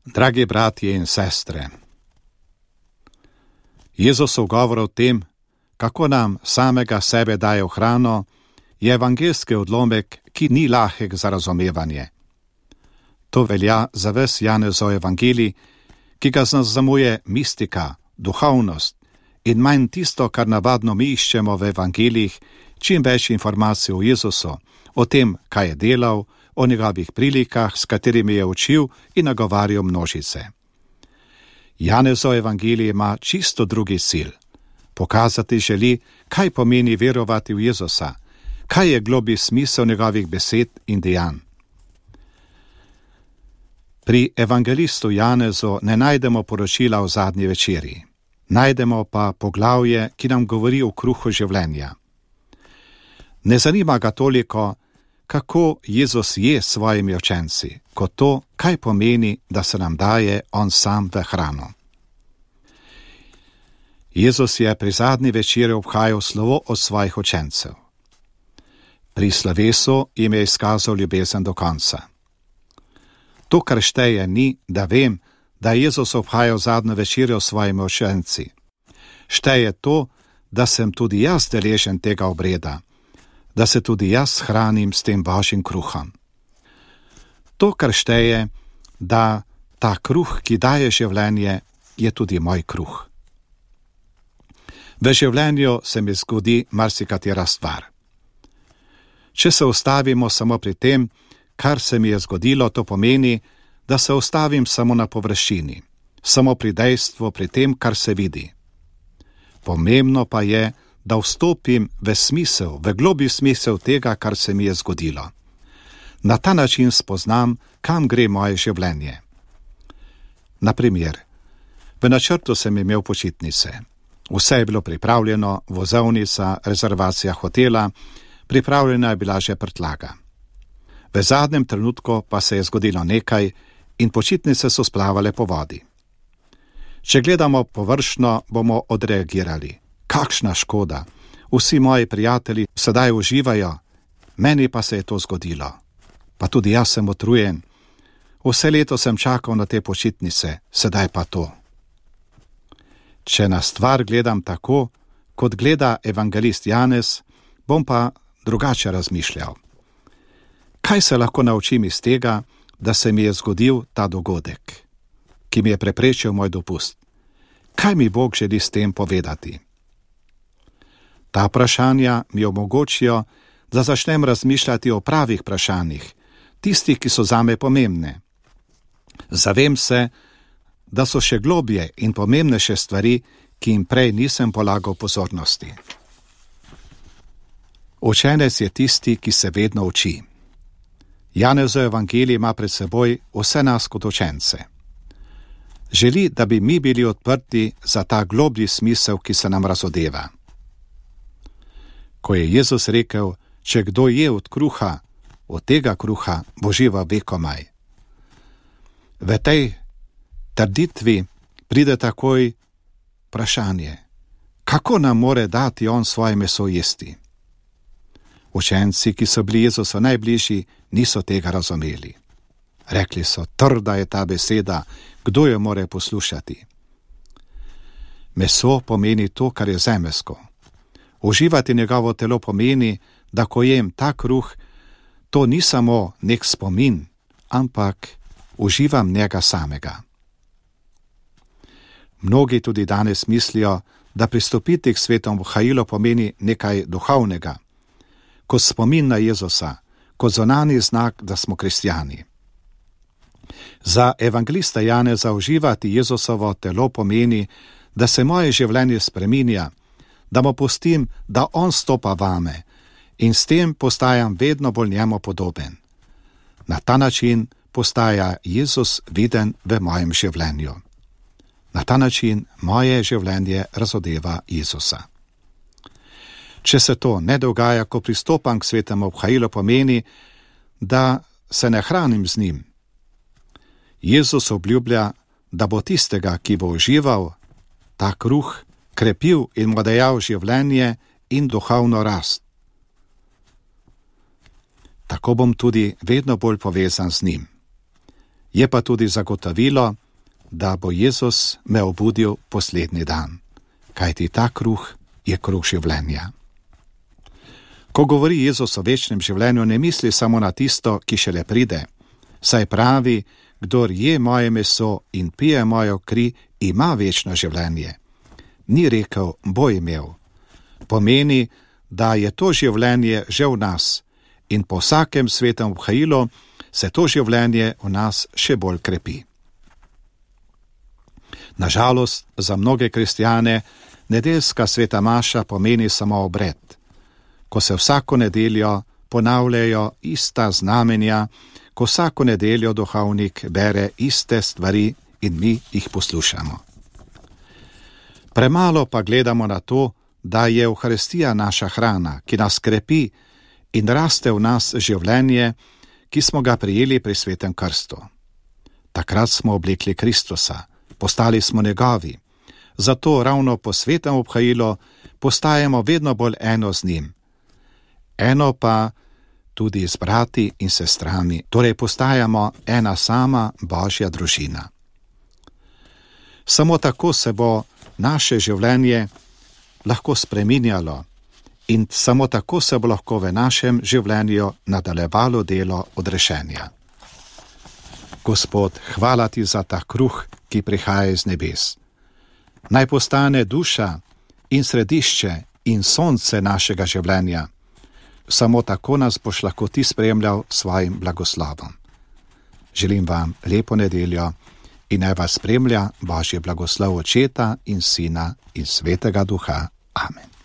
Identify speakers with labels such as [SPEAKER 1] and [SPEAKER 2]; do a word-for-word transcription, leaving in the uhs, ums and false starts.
[SPEAKER 1] Dragi bratje in sestre, Jezusov govor o tem, kako nam samega sebe daje v hrano, je evangeljski odlomek, ki ni lahek za razumevanje. To velja za ves Janezov evangelij, ki ga zaznamuje mistika, duhovnost in manj tisto, kar navadno mi iščemo v evangelijih, čim več informacij o Jezusu, o tem, kaj je delal, o njegovih prilikah, s katerimi je učil in nagovarjal množice. Janezov evangelij ima čisto drugi cilj. Pokazati želi, kaj pomeni verovati v Jezusa, kaj je globlji smisel njegovih besed in dejanj. Pri evangelistu Janezu ne najdemo poročila o zadnji večerji, najdemo pa poglavje, ki nam govori o kruhu življenja. Ne zanima ga toliko, kako Jezus je s svojimi učenci, kot to, kaj pomeni, da se nam daje on sam v hrano. Jezus je pri zadnji večeri obhajal slovo od svojih učencev. Pri slovesu jim je izkazal ljubezen do konca. To, kar šteje, ni, da vem, da je Jezus obhajal zadnjo večerjo s svojimi učenci. Šteje to, da sem tudi jaz deležen tega obreda, da se tudi jaz hranim s tem božjim kruhom. To, kar šteje, da ta kruh, ki daje življenje, je tudi moj kruh. V življenju se mi zgodi marsikatera stvar. Če se ustavimo samo pri tem, kar se mi je zgodilo, to pomeni, da se ustavim samo na površini, samo pri dejstvu, pri tem, kar se vidi. Pomembno pa je, da vstopim v smisel, v globlji smisel tega, kar se mi je zgodilo. Na ta način spoznam, kam gre moje življenje. Na primer, v načrtu sem imel počitnice. Vse je bilo pripravljeno, vozovnica, rezervacija hotela, pripravljena je bila že prtljaga. V zadnjem trenutku pa se je zgodilo nekaj in počitnice so splavale po vodi. Če gledamo površno, bomo odreagirali. Kakšna škoda! Vsi moji prijatelji sedaj uživajo, meni pa se je to zgodilo. Pa tudi jaz sem utrujen. Vse leto sem čakal na te počitnice, sedaj pa to. Če na stvar gledam tako, kot gleda evangelist Janez, bom pa drugače razmišljal. Kaj se lahko naučim iz tega, da se mi je zgodil ta dogodek, ki mi je preprečil moj dopust? Kaj mi Bog želi s tem povedati? Ta vprašanja mi omogočijo, da začnem razmišljati o pravih vprašanjih, tistih, ki so zame pomembne. Zavem se, da so še globje in pomembnejše stvari, ki jim prej nisem polagal pozornosti. Učenec je tisti, ki se vedno uči. Janezov evangelij ima pred seboj vse nas kot učence. Želi, da bi mi bili odprti za ta globlji smisel, ki se nam razodeva. Ko je Jezus rekel, če kdo je od kruha, od tega kruha bo živel vekomaj. V tej trditvi pride takoj vprašanje, kako nam more dati on svoje meso jesti? Učenci, ki so bili Jezusu najbližji, niso tega razumeli. Rekli so, trda je ta beseda, kdo jo more poslušati? Meso pomeni to, kar je zemeljsko. Uživati njegovo telo pomeni, da ko jem ta kruh, to ni samo nek spomin, ampak uživam njega samega. Mnogi tudi danes mislijo, da pristopiti k svetom vhajilo pomeni nekaj duhovnega, kot spomin na Jezusa, kot zunanji znak, da smo kristjani. Za evangelista Janeza uživati Jezusovo telo pomeni, da se moje življenje spreminja, da mu pustim, da on stopa vame in s tem postajam vedno bolj njemu podoben. Na ta način postaja Jezus viden v mojem življenju. Na ta način moje življenje razodeva Jezusa. Če se to ne dogaja, ko pristopam k svetemu obhajilu, pomeni, da se ne hranim z njim. Jezus obljublja, da bo tistega, ki bo užival ta kruh, krepil in mu dajal življenje in duhovno rast. Tako bom tudi vedno bolj povezan z njim. Je pa tudi zagotovilo, da bo Jezus me obudil poslednji dan, kajti ta kruh je kruh življenja. Ko govori Jezus o večnem življenju, ne misli samo na tisto, ki šele pride, saj pravi, kdor je moje meso in pije mojo kri, ima večno življenje. Ni rekel, bo imel. Pomeni, da je to življenje že v nas in po vsakem svetem obhajilu se to življenje v nas še bolj krepi. Nažalost, za mnoge kristjane nedeljska sveta maša pomeni samo obred, ko se vsako nedeljo ponavljajo ista znamenja, ko vsako nedeljo duhovnik bere iste stvari in mi jih poslušamo. Premalo pa gledamo na to, da je Evharistija naša hrana, ki nas krepi in raste v nas življenje, ki smo ga prijeli pri svetem krstu. Takrat smo oblekli Kristusa, postali smo njegovi, zato ravno po svetem obhajilu postajamo vedno bolj eno z njim. Eno pa tudi z brati in sestrami, torej postajamo ena sama Božja družina. Samo tako se bo naše življenje lahko spreminjalo in samo tako se bo lahko v našem življenju nadaljevalo delo odrešenja. Gospod, hvala ti za ta kruh, ki prihaja iz nebes. Naj postane duša in središče in sonce našega življenja. Samo tako nas boš lahko ti spremljal svojim blagoslovom. Želim vam lepo nedeljo in naj vas spremlja Božji blagoslov Očeta in Sina in Svetega Duha. Amen.